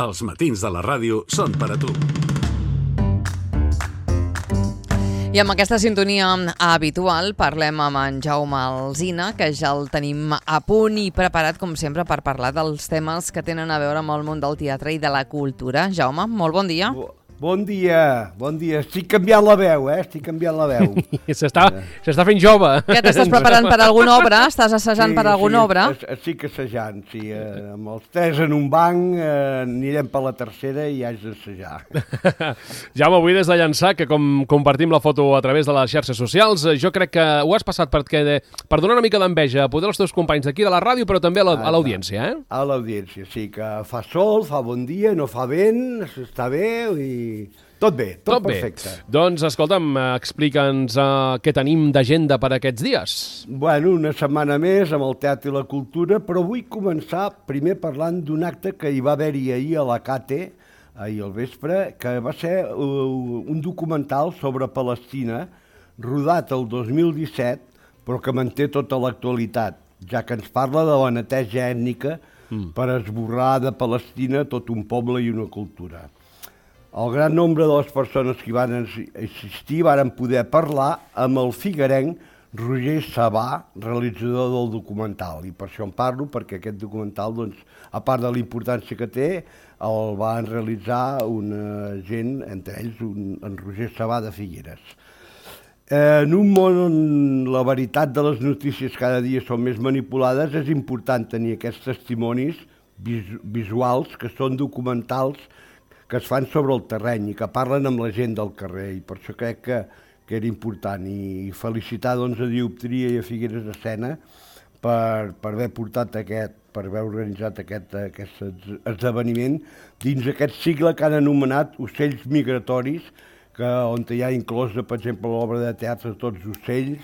Els matins de la ràdio són per a tu. I amb aquesta sintonia habitual parlem amb en Jaume Alsina, que ja el tenim a punt i preparat, com sempre, per parlar dels temes que tenen a veure amb el món del teatre i de la cultura. Jaume, molt bon dia. Bon dia. Estic canviant la veu, Estic canviant la veu. S'està fent jove. Que t'estàs preparant per alguna obra? Estàs assajant per alguna obra? Estic assajant, sí. Amb els tres en un banc anirem per la tercera i haig d'assajar. Jaume, avui des de Llançà, que com compartim la foto a través de les xarxes socials, jo crec que ho has passat per donar una mica d'enveja a poder als teus companys d'aquí de la ràdio, però també a l'audiència, A l'audiència, sí, que fa sol, fa bon dia, no fa vent, està bé i... Tot bé, tot perfecte. Doncs, escolta'm, explica'ns què tenim d'agenda per aquests dies. Bueno, una setmana més amb el teatre i la cultura, però vull començar primer parlant d'un acte que hi va haver-hi ahir a la CATE, ahir al vespre, que va ser un documental sobre Palestina, rodat el 2017, però que manté tota l'actualitat, ja que ens parla de la neteja ètnica per esborrar de Palestina tot un poble i una cultura. El gran nombre de les persones que hi van assistir varen poder parlar amb el figuerenc Roger Sabà, realitzador del documental. I per això en parlo, perquè aquest documental, doncs, a part de la importància que té, el van realitzar una gent, entre ells en Roger Sabà de Figueres. En un món on la veritat de les notícies cada dia són més manipulades, és important tenir aquests testimonis visuals, que són documentals, que es fan sobre el terreny i que parlen amb la gent del carrer, i per això crec que era important. I felicitar doncs, a Dioptria i a Figueres Escena per haver portat per haver organitzat aquest esdeveniment dins aquest cicle que han anomenat Ocells Migratoris, on hi ha inclosa, per exemple, l'obra de teatre Tots ocells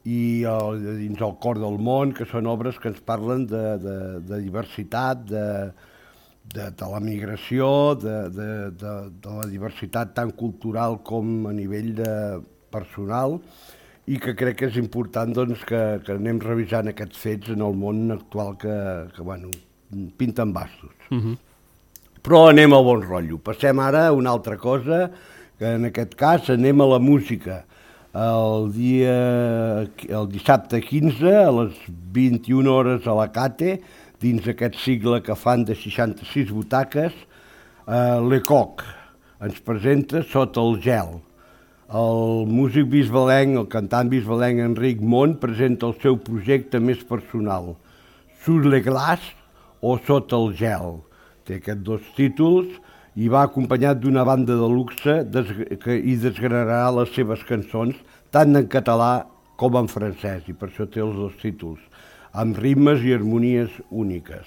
i dins el Cor del món, que són obres que ens parlen de diversitat, de la migració, de la diversitat tant cultural com a nivell personal, i que crec que és important doncs, que anem revisant aquests fets en el món actual que pinten bastos. Però anem al bon rotllo. Passem ara a una altra cosa, que en aquest cas anem a la música. El dissabte 15, a les 21 hores a la CATE, dins aquest cicle que fan de 66 butaques, l'ECOC ens presenta Sota el gel. El músic bisbalenc, el cantant bisbalenc Enric Mont, presenta el seu projecte més personal, Sur le glace o Sota el gel. Té aquests dos títols i va acompanyat d'una banda de luxe i desgranarà les seves cançons, tant en català com en francès, i per això té els dos títols, amb ritmes i harmonies úniques.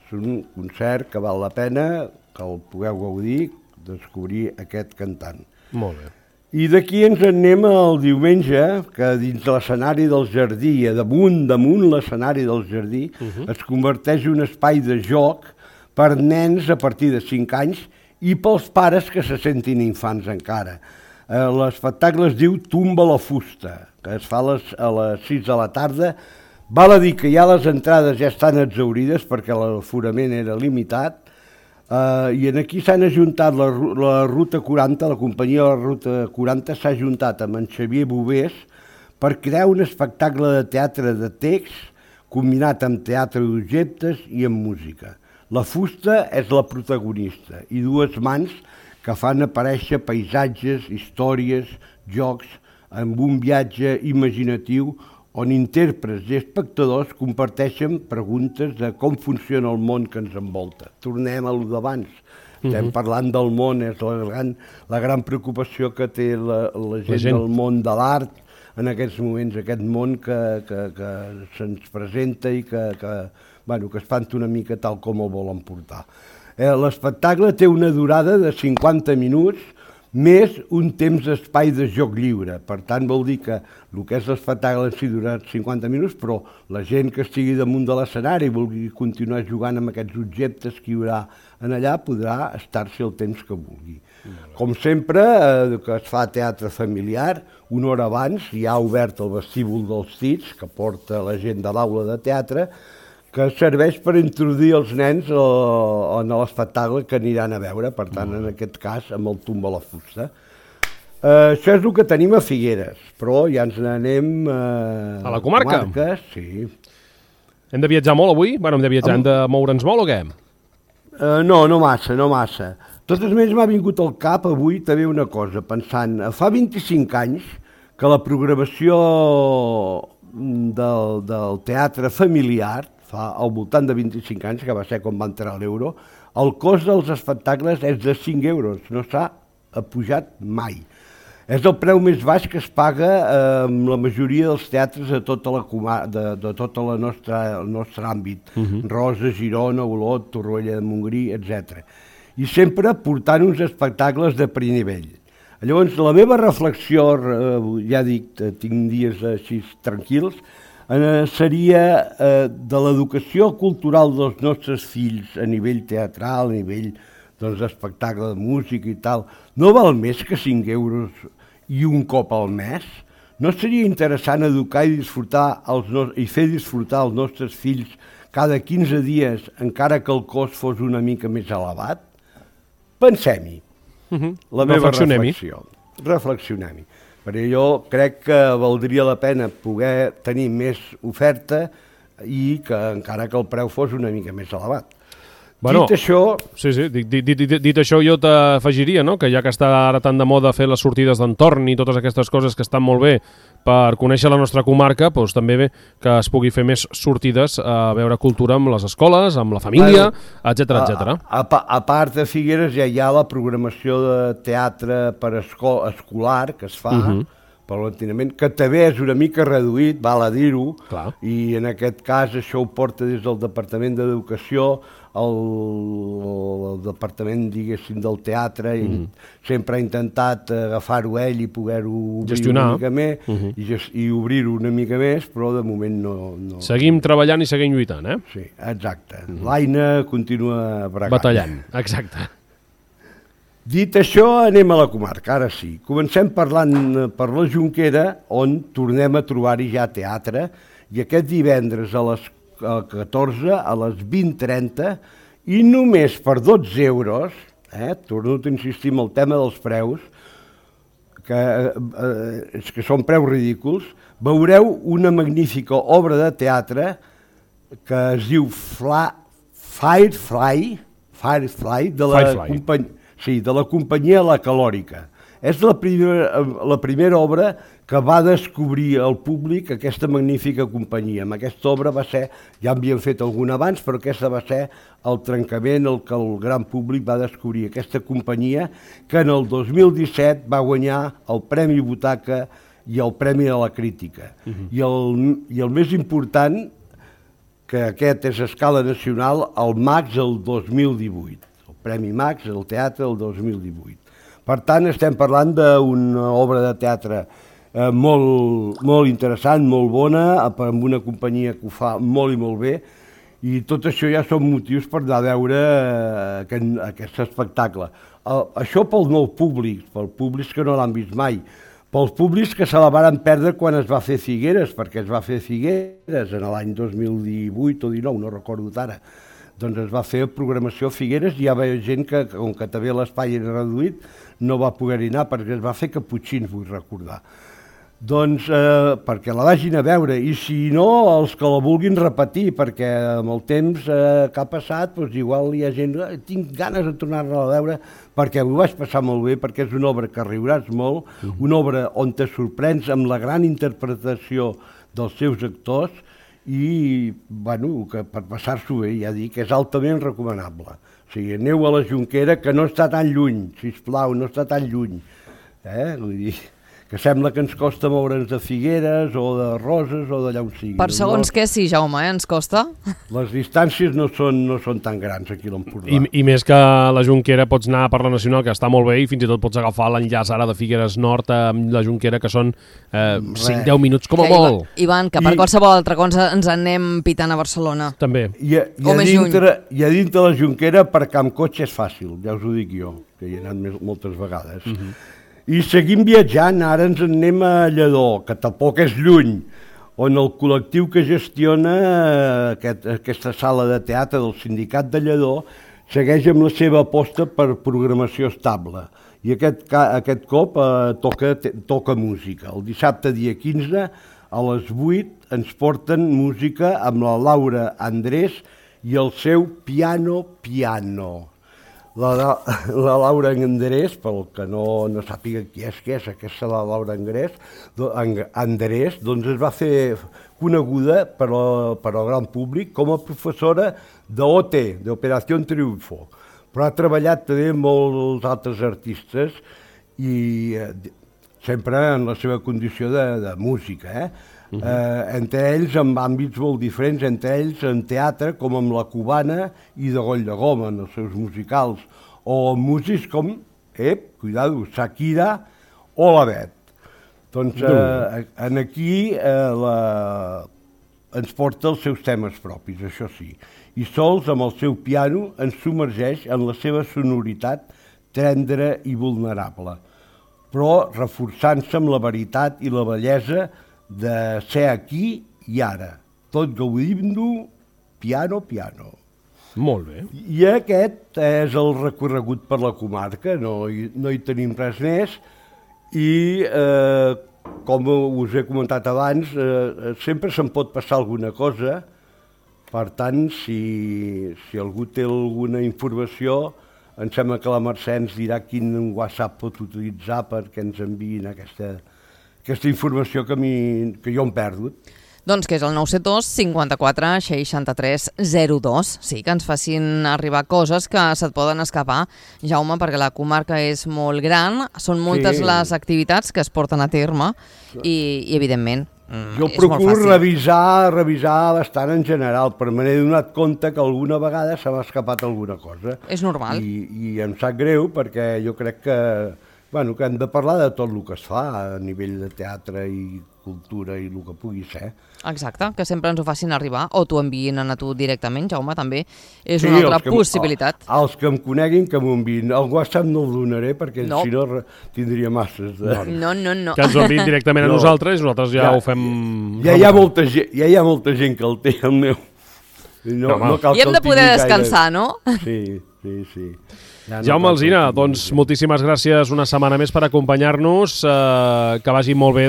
És un concert que val la pena que el pugueu gaudir, descobrir aquest cantant. Molt bé. I d'aquí ens en anem al diumenge, que dins l'escenari del jardí, damunt l'escenari del jardí, es converteix en un espai de joc per nens a partir de 5 anys i pels pares que se sentin infants encara. L'espectacle es diu Tumba la fusta, que es fa a les 6 de la tarda. Val a dir que ja les entrades ja estan exhaurides perquè l'aforament era limitat, i aquí s'han ajuntat la Ruta 40, la companyia de la Ruta 40 s'ha ajuntat amb en Xavier Bovés per crear un espectacle de teatre de text combinat amb teatre d'objectes i amb música. La fusta és la protagonista i dues mans que fan aparèixer paisatges, històries, jocs, amb un viatge imaginatiu on intèrprets i espectadors comparteixen preguntes de com funciona el món que ens envolta. Tornem a lo d'abans. Estem parlant del món, és la gran preocupació que té la gent del món de l'art en aquests moments, aquest món que se'ns presenta i que espanta una mica tal com el volen portar. L'espectacle té una durada de 50 minuts, més un temps d'espai de joc lliure. Per tant, vol dir que el que és l'espectacle en si durarà 50 minuts, però la gent que estigui damunt de l'escenari i vulgui continuar jugant amb aquests objectes que hi haurà en allà podrà estar-s'hi el temps que vulgui. Com sempre, que es fa teatre familiar, una hora abans hi ha obert el vestíbul dels Cits, que porta la gent de l'aula de teatre, que serveix per introduir els nens en l'espectacle que aniran a veure, per tant, en aquest cas, amb el tomb a la fusta. Això és el que tenim a Figueres, però ja ens n'anem a la comarca. Sí. Hem de viatjar molt avui? Bueno, hem de viatjar, hem de moure'ns molt o què? No massa. Totes més m'ha vingut al cap avui també una cosa, pensant, fa 25 anys que la programació del teatre familiar, fa al voltant de 25 anys, que va ser quan va entrar l'euro, el cost dels espectacles és de 5 euros, no s'ha pujat mai. És el preu més baix que es paga en la majoria dels teatres de tot el nostre àmbit. Rosa, Girona, Olot, Torroella de Montgrí, etc. I sempre portant uns espectacles de primer nivell. Llavors, la meva reflexió, ja dic, tinc dies així tranquils, seria de l'educació cultural dels nostres fills a nivell teatral, a nivell d'espectacle de música i tal. No val més que 5 euros i un cop al mes? No seria interessant educar i fer disfrutar els nostres fills cada 15 dies, encara que el cost fos una mica més elevat? Pensem-hi. La meva reflexió. Reflexionem-hi. Perquè jo crec que valdria la pena poder tenir més oferta i que encara que el preu fos una mica més elevat. Bueno, dit això... Sí, dit això jo t'afegiria, no? Que ja que està ara tan de moda fer les sortides d'entorn i totes aquestes coses que estan molt bé per conèixer la nostra comarca, doncs també bé que es pugui fer més sortides a veure cultura amb les escoles, amb la família, etc. A part de Figueres ja hi ha la programació de teatre per escolar que es fa, per l'enteniment, que també és una mica reduït, val a dir-ho, i en aquest cas això ho porta des del Departament d'Educació, el departament, diguéssim, del teatre, sempre ha intentat agafar-ho ell i poder-ho obrir una mica més i obrir-ho una mica més, però de moment no... Seguim treballant i seguim lluitant, eh? Sí, exacte. L'Aina continua bregant. Batallant, exacte. Dit això, anem a la comarca, ara sí. Comencem parlant per la Jonquera, on tornem a trobar-hi ja teatre, i aquest divendres a les 14 a les 20:30 i només per 12 euros, torno a insistir en el tema dels preus, que són preus ridículs, veureu una magnífica obra de teatre que es diu Firefly, de la companyia La Calòrica. És la primera obra que va descobrir al públic aquesta magnífica companyia. Amb aquesta obra va ser, ja havien fet alguna abans, però aquesta va ser el trencament, el que el gran públic va descobrir. Aquesta companyia que en el 2017 va guanyar el Premi Butaca i el Premi de la Crítica. I el més important, que aquest és a escala nacional, el Max del 2018. El Premi Max del teatre del 2018. Per tant, estem parlant d'una obra de teatre molt interessant, molt bona, amb una companyia que ho fa molt i molt bé, i tot això ja són motius per anar a veure aquest espectacle. Això pel nou públic, pels públics que no l'han vist mai, pels públics que se la van perdre quan es va fer Figueres, perquè es va fer Figueres en l'any 2018 o 19, no recordo ara. Doncs es va fer programació a Figueres i hi havia gent que, com que també l'espai era reduït, no va poder-hi anar perquè es va fer Caputxins, vull recordar. Doncs perquè la vagin a veure, i si no, els que la vulguin repetir, perquè amb el temps que ha passat, doncs igual hi ha gent, tinc ganes de tornar-la a veure, perquè m'ho vaig passar molt bé, perquè és una obra que riuràs molt, una obra on te sorprens amb la gran interpretació dels seus actors, i bueno, que per passar-s'ho bé, ja dic, és altament recomanable. O sigui, aneu a la Jonquera, que no està tan lluny, sisplau, no està tan lluny. Vull dir, que sembla que ens costa moure'ns de Figueres o de Roses o d'allà on sigui. Per segons què sí, Jaume, ens costa? Les distàncies no són tan grans aquí a l'Empordà. I més que a la Jonquera pots anar per la Nacional, que està molt bé, i fins i tot pots agafar l'enllaç ara de Figueres Nord amb la Jonquera, que són 5-10 minuts com a molt. Ivan, que per qualsevol altra cosa ens anem pitant a Barcelona. També. I a dintre la Jonquera aparcar amb cotxe és fàcil, ja us ho dic jo, que hi he anat moltes vegades. I seguim viatjant, ara ens en anem a Lledó, que tampoc és lluny, on el col·lectiu que gestiona aquesta sala de teatre del Sindicat de Lledó segueix amb la seva aposta per programació estable. I aquest cop toca música. El dissabte, dia 15, a les 8, ens porten música amb la Laura Andrés i el seu Piano. La Laura Andrés, pel que no sàpiga qui és aquesta Laura Andrés, doncs es va fer coneguda per al gran públic com a professora d'OT, d'Operació Triunfo, però ha treballat també amb molts altres artistes i sempre en la seva condició de música, entre ells en àmbits molt diferents, entre ells en teatre, com amb la Cubana i de Goll de Goma, en els seus musicals, o músics com, cuidado, Shakira o la Bet. Doncs aquí ens porta els seus temes propis, això sí, i sols amb el seu piano ens submergeix en la seva sonoritat tendra i vulnerable, però reforçant-se amb la veritat i la bellesa de ser aquí i ara, tot gaudint-ho piano. Molt bé. I aquest és el recorregut per la comarca, no hi tenim res més, i com us he comentat abans, sempre se'n pot passar alguna cosa, per tant, si algú té alguna informació, em sembla que la Mercè ens dirà quin WhatsApp pot utilitzar perquè ens enviïn aquesta informació que jo em perdut. Doncs que és el 972 54 63 02. Sí, que ens facin arribar coses que se't poden escapar, Jaume, perquè la comarca és molt gran, són moltes les activitats que es porten a terme i evidentment, jo procuro revisar bastant en general, però me n'he donat compte que alguna vegada se m'ha escapat alguna cosa. És normal. I em sap greu perquè jo crec que hem de parlar de tot el que es fa a nivell de teatre i cultura i el que pugui ser. Exacte, que sempre ens ho facin arribar, o t'ho enviïn a tu directament, Jaume, també és una altra possibilitat. Els que em coneguin, que m'ho enviïn. El WhatsApp no el donaré perquè si no tindria masses. No. Que ens ho enviïn directament a nosaltres i nosaltres ja ho fem... Ja hi ha molta gent que el té, el meu. I hem de poder descansar, no? Sí. Jaume Alsina, doncs moltíssimes gràcies una setmana més per acompanyar-nos, que vagi molt bé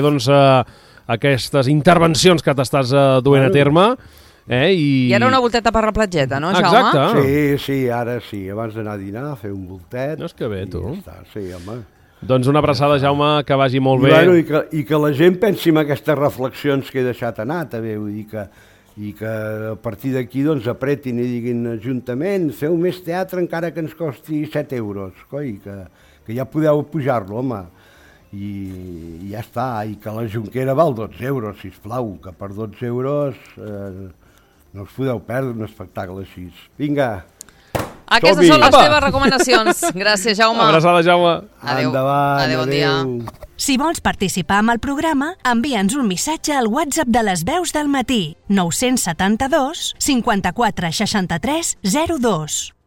aquestes intervencions que t'estàs duent a terme. I ara una volteta per la platgeta, no, Jaume? Exacte. Sí, ara sí, abans d'anar a dinar, a fer un voltet. No és que bé, tu. Sí, home. Doncs una abraçada, Jaume, que vagi molt bé. I que la gent pensi en aquestes reflexions que he deixat anar, també, vull dir que a partir d'aquí apretin i diguin Ajuntament, feu més teatre encara que ens costi 7 euros, coi, que ja podeu pujar-lo, home, i ja està, i que la Jonquera val 12 euros, sisplau, que per 12 euros no us podeu perdre un espectacle així. Vinga! Aquestes són les teves recomanacions. Gràcies, Jaume. Abraçada, Jaume. Adéu. Endavant, bon dia. Si vols participar amb el programa, envia'ns un missatge al WhatsApp de les veus del matí 972 54 63 02.